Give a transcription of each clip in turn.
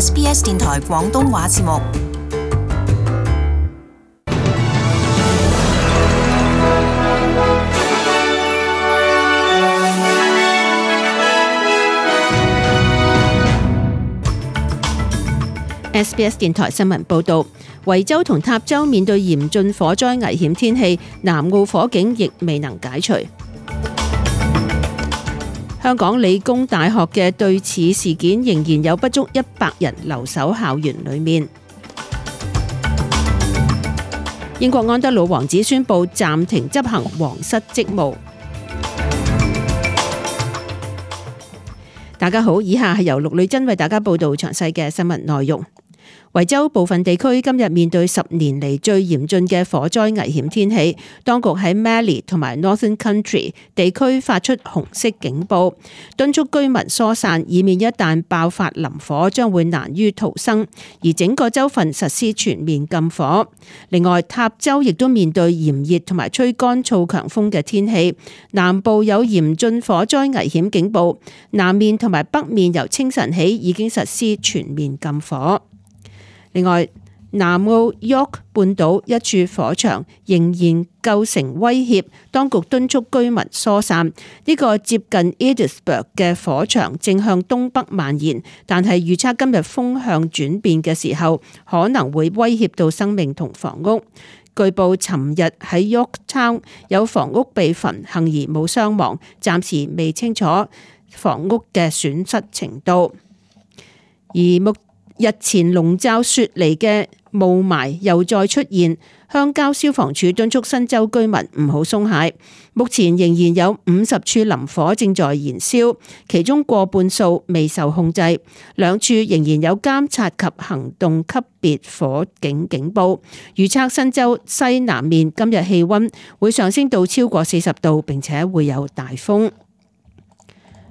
SBS 電台廣東話節目。SBS 電台新聞報導，維州同塔州面對嚴峻火災危險天氣，南澳火警亦未能解除。香港理工大學嘅對此事件仍然有不足100人留守校園裏面。英國安德魯王子宣布暫停執行皇室職務。大家好，以下係由陸女真為大家報道詳細嘅新聞內容。維州部分地區今日面對10年嚟最嚴峻嘅火災危險天氣，當局喺 Mallee 同埋 Northern Country 地區發出紅色警報，敦促居民疏散，以免一旦爆發林火將會難於逃生，而整個州份實施全面禁火。另外，塔州亦都面對炎熱同埋吹乾燥強風嘅天氣，南部有嚴峻火災危險警報，南面同埋北面由清晨起已經實施全面禁火。另外，南澳 York 半島一處火場仍然構成威脅，當局敦促居民疏散。呢個接近 Edithburgh 嘅火場正向東北蔓延，但係預測今日風向轉變嘅時候，可能會威脅到生命同房屋。據報，尋日喺 Yorktown 有房屋被焚，幸而冇傷亡，暫時未清楚房屋嘅損失程度。而日前籠罩雪梨嘅霧霾又再出現，鄉郊消防處敦促新州居民唔好鬆懈。目前仍然有50處林火正在燃燒，其中過半數未受控制，兩處仍然有監察及行動級別火警警報。預測新州西南面今日氣溫會上升到超過40度，並且會有大風。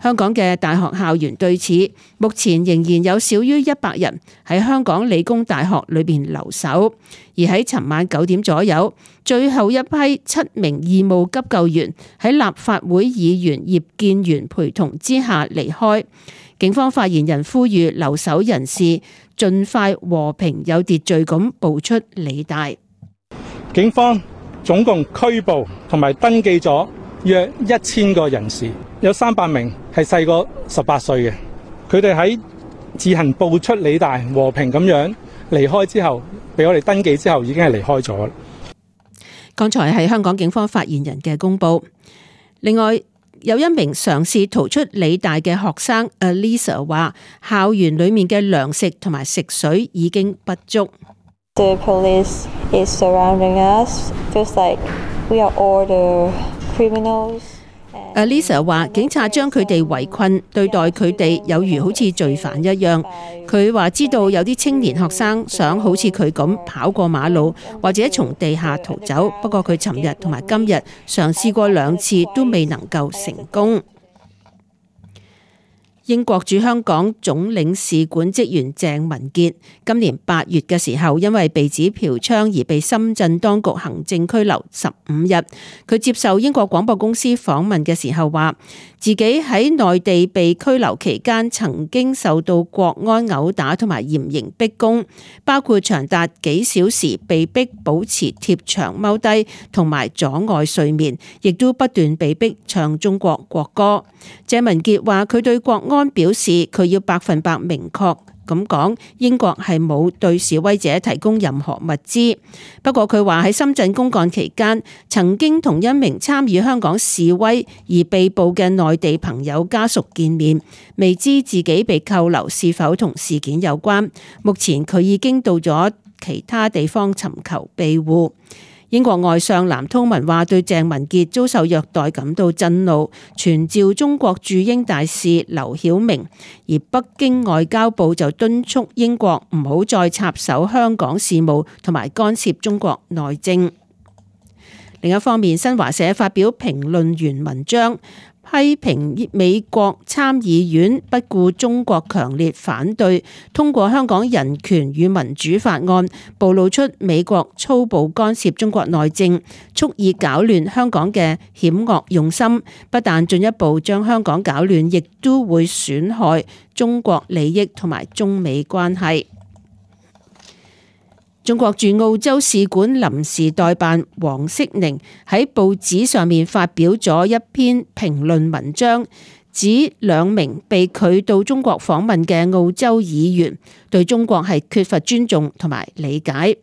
香港嘅大學校園對此，目前仍然有少於100人喺香港理工大學裏邊留守，而喺尋晚9點左右，最後一批7名義務急救員喺立法會議員葉建源陪同之下離開。警方發言人呼籲留守人士盡快和平有秩序咁步出理大。警方總共拘捕同埋登記咗約1000個人士，有300名係細過18歲嘅。佢哋喺自行步出理大和平咁樣離開之後，俾我哋登記之後已經係離開咗。剛才係香港警方發言人嘅公佈。另外，有一名嘗試逃出理大嘅學生 Alisa 話，校園裡面嘅糧食同埋食水已經不足。The police is surrounding us, feels like we are all the criminals. Alisa 話警察將佢哋圍困，對待佢哋有如好似罪犯一樣。佢話知道有啲青年學生想好似佢咁跑過馬路，或者從地下逃走，不過佢尋日同埋今日嘗試過2次都未能夠成功。英國駐香港總領事館職員鄭文傑今年8月嘅時候，因為被指嫖娼而被深圳當局行政拘留15日。佢接受英國廣播公司訪問嘅時候話，自己喺內地被拘留期間曾經受到國安毆打同埋嚴刑逼供，包括長達幾小時被逼保持貼牆踎低同埋阻礙睡眠，亦都不斷被逼唱中國國歌。鄭文傑話佢對國安表示佢要100%明確咁講，英國係冇對示威者提供任何物資。不過佢話喺深圳公幹期間，曾經同一名參與香港示威而被捕嘅內地朋友家屬見面，未知自己被扣留是否同事件有關。目前佢已經到咗其他地方尋求庇護。英國外相藍韜文話對鄭文傑遭受虐待感到震怒，傳召中國駐英大使劉曉明，而北京外交部就敦促英國唔好再插手香港事務同埋干涉中國內政。另一方面，新華社發表評論員文章，批評美國參議院不顧中國強烈反對，通過香港人權與民主法案，暴露出美國粗暴干涉中國內政，蓄意搞亂香港嘅險惡用心，不但進一步將香港搞亂，亦都會損害中國利益同埋中美關係。中國駐澳洲使館臨時代辦黃色寧喺報紙上面發表咗一篇評論文章，指兩名被拒到中國訪問嘅澳洲議員對中國係缺乏尊重同埋理解。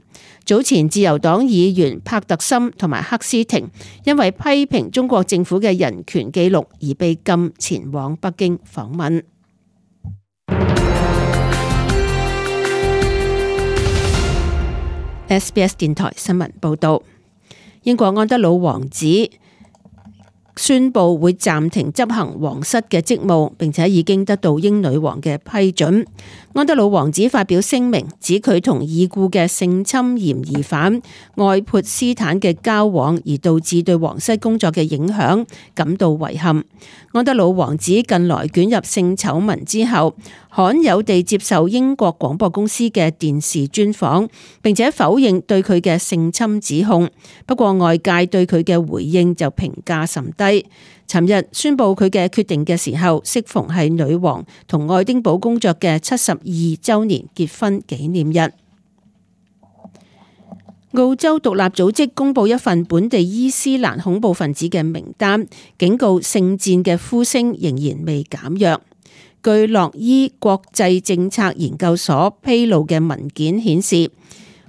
早前自由黨議員帕特森同埋克斯廷因為批評中國政府嘅人權記錄而被禁前往北京訪問。SBS 電台新聞報道，英國安德魯王子宣布會暫停執行皇室嘅職務，並且已經得到英女王嘅批准。安德魯王子發表聲明，指佢同已故嘅性侵嫌疑犯愛潑斯坦嘅交往，而導致對皇室工作嘅影響感到遺憾。安德魯王子近來捲入性醜聞之後，罕有地接受英國廣播公司嘅電視專訪，並且否認對佢嘅性侵指控。不過外界對佢嘅回應就評價甚低。尋日宣布佢嘅決定嘅時候，適逢係女王同愛丁堡公爵嘅72週年結婚紀念日。澳洲獨立組織公布一份本地伊斯蘭恐怖分子嘅名單，警告聖戰嘅呼聲仍然未減弱。據洛伊國際政策研究所披露嘅文件顯示，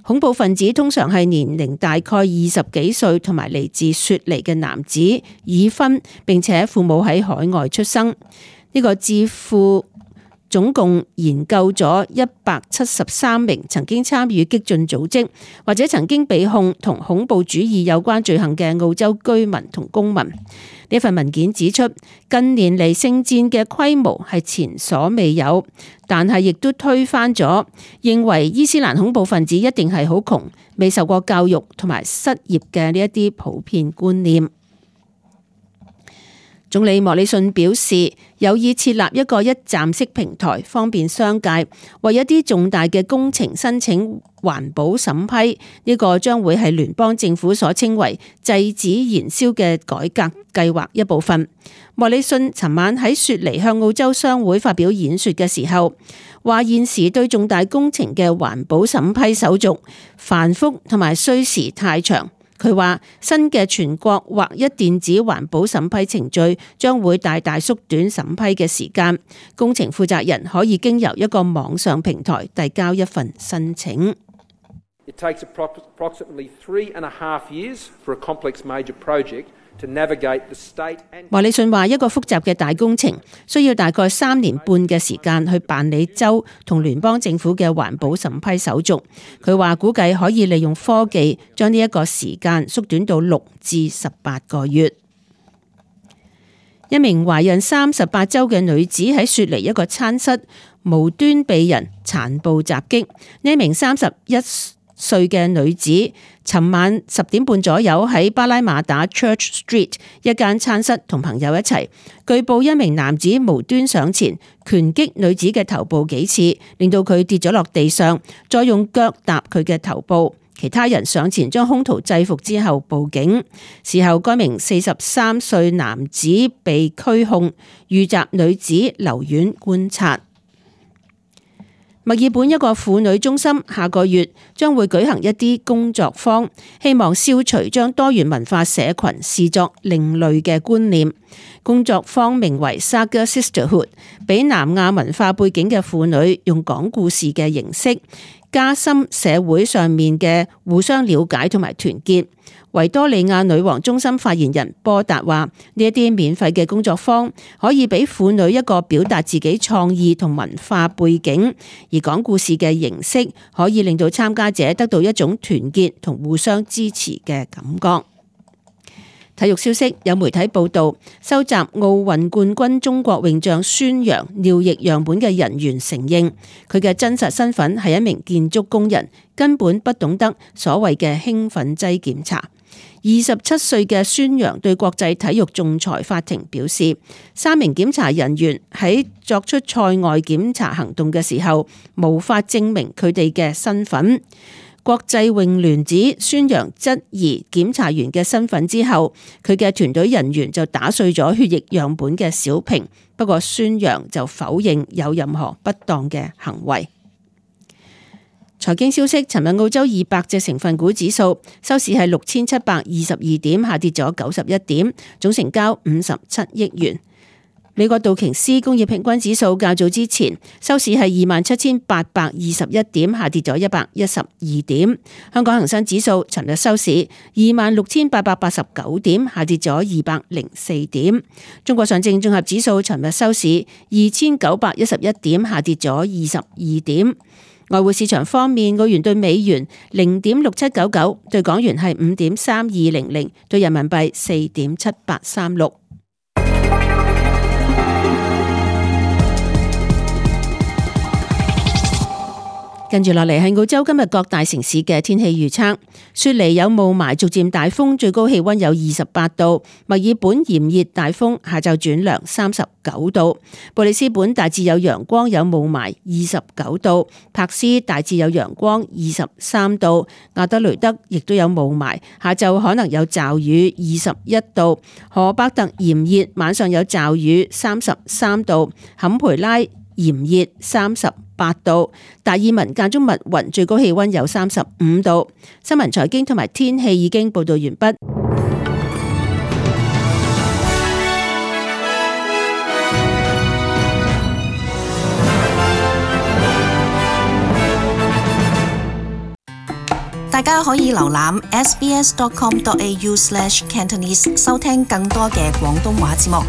恐怖分子通常係年齡大概20幾歲同埋嚟自雪梨嘅男子，已婚並且父母喺海外出生。呢個智庫總共研究咗173名曾經參與激進組織或者曾經被控同恐怖主義有關罪行嘅澳洲居民同公民。呢份文件指出，近年嚟聖戰嘅規模係前所未有，但係亦都推翻咗認為伊斯蘭恐怖分子一定係好窮、未受過教育同埋失業嘅呢一啲普遍觀念。總理莫里遜表示，有意設立一個一站式平台，方便商界為一啲重大嘅工程申請環保審批。呢個將會係聯邦政府所稱為制止燃燒嘅改革計劃一部分。莫里遜尋晚喺雪梨向澳洲商會發表演說嘅時候，話現時對重大工程嘅環保審批手續繁複同埋需時太長。佢話新嘅全國劃一電子環保審批程序將會大大縮短審批嘅時間，工程負責人可以經由一個網上平台遞交一份申請。It takes approximately 3.5 years for a complex major project to navigate the state and... 莫里遜話一個複雜嘅大工程需要大概3年半嘅時間去辦理州同聯邦政府嘅環保審批手續。佢話估計可以利用科技將呢一個時間縮短到6至18個月。一名懷孕38週嘅女子喺雪梨一個餐室無端被人殘暴襲擊。呢名31歲嘅女子尋晚10點半左右喺巴拉馬打 Church Street 一間餐室同朋友一齊，據報一名男子無端上前拳擊女子嘅頭部幾次，令到佢跌咗落地上，再用腳踏佢嘅頭部。其他人上前將兇徒制服之後報警。事後該名43歲男子被拘控，遇襲女子留院觀察。墨爾本一個婦女中心下個月將會舉行一啲工作坊，希望消除將多元文化社群視作另類嘅觀念。工作坊名為 Saga Sisterhood， 俾南亞文化背景嘅婦女用講故事嘅形式，加深社會上面嘅互相了解同埋團結。維多利亞女王中心發言人波達話：呢一啲免費嘅工作坊可以俾婦女一個表達自己創意同文化背景，而講故事嘅形式可以令到參加者得到一種團結同互相支持嘅感覺。體育消息，有媒體報道，收集奧運冠軍中國泳將孫楊尿液樣本嘅人員承認，佢嘅真實身份係一名建築工人，根本不懂得所謂嘅興奮劑檢查。27歲嘅孫楊對國際體育仲裁法庭表示，3名檢查人員喺作出賽外檢查行動嘅時候，無法證明佢哋嘅身份。國際泳聯指孫楊質疑檢查員嘅身份之後，佢嘅團隊人員就打碎咗血液樣本嘅小瓶，不過孫楊就否認有任何不當嘅行為。財經消息，尋日澳洲200隻成分股指數收市係6722點，下跌咗91點，總成交57億元。美國道瓊斯工業平均指數較早之前收市係27,821點，下跌咗112點。香港恒生指數尋日收市26,889點，下跌咗204點。中國上證綜合指數尋日收市2,911點，下跌咗22點。外匯市場方面，澳元對美元0.6799，對港元係5.3200，對人民幣4.7836。跟住落嚟係澳洲今日各大城市嘅天氣預測。雪梨有霧霾，逐漸大風，最高氣溫有28度。墨爾本炎熱大風，下晝轉涼39度。布里斯本大致有陽光，有霧霾29度。柏斯大致有陽光23度。亞德雷德亦都有霧霾，下晝可能有驟雨21度。荷伯特炎熱，晚上有驟雨33度。坎培拉炎熱38度，達爾文間中密雲，最高氣溫有35度。新聞財經同埋天氣已經報道完畢。大家可以瀏覽 sbs.com.au/cantonese 收聽更多嘅廣東話節目。